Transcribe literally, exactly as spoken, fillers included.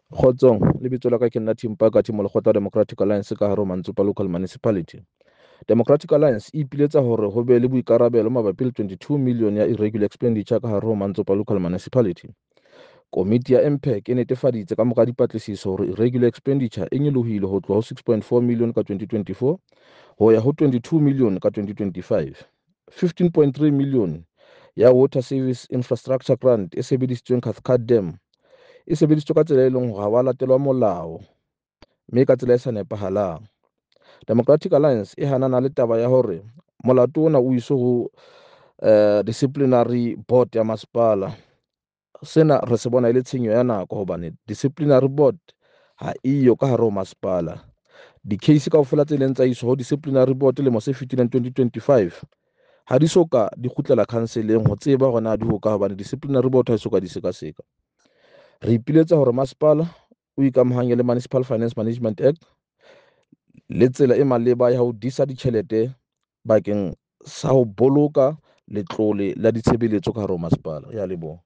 Kgotsong, lebitso la ka ke nna Tim Parker, Molekgotla Democratic Alliance ka hare ho Mantsopa Local Municipality. Democratic Alliance e ipiletsa hore ho be le boikarabelo mabapi le twenty-two million ya irregular expenditure ka hare ho Mantsopa Local Municipality. Komiti ya M P A C e netefaditse ka mora dipatlisiso hore irregular expenditure e nyolohile ho tloha ho six point four million ka twenty twenty-four ho ya ho twenty-two million ka twenty twenty-five. fifteen point three million ya Water Service Infrastructure Grant e sebedisitsweng Cathcart Dam e sebedisitswe ka tsela e leng hore ha wa latelwa molao, mme ka tsela e sa nepahalang. Democratic Alliance e hanana le taba ya hore molato ona o iswe ho eh, disciplinary board ya masepala. Sena re se bona e le tshenyo ya nako hobane disciplinary board ha eyo ka hare ho masepala. Di-case kaofela tse leng tsa iswa ho disciplinary board lemo se fetileng twenty twenty-five ha di so ka di kgutlela council-eng ho tseba hore na di hokae, hobane disciplinary board ha e so ka di sekaseka. Re ipiletsa hore masepala o ikamahanye le Municipal Finance Management Act le tsela e maleba ya ho disa ditjhelete bakeng sa ho boloka letlole la ditshebeletso ka hare ho masepala. Ya leboha.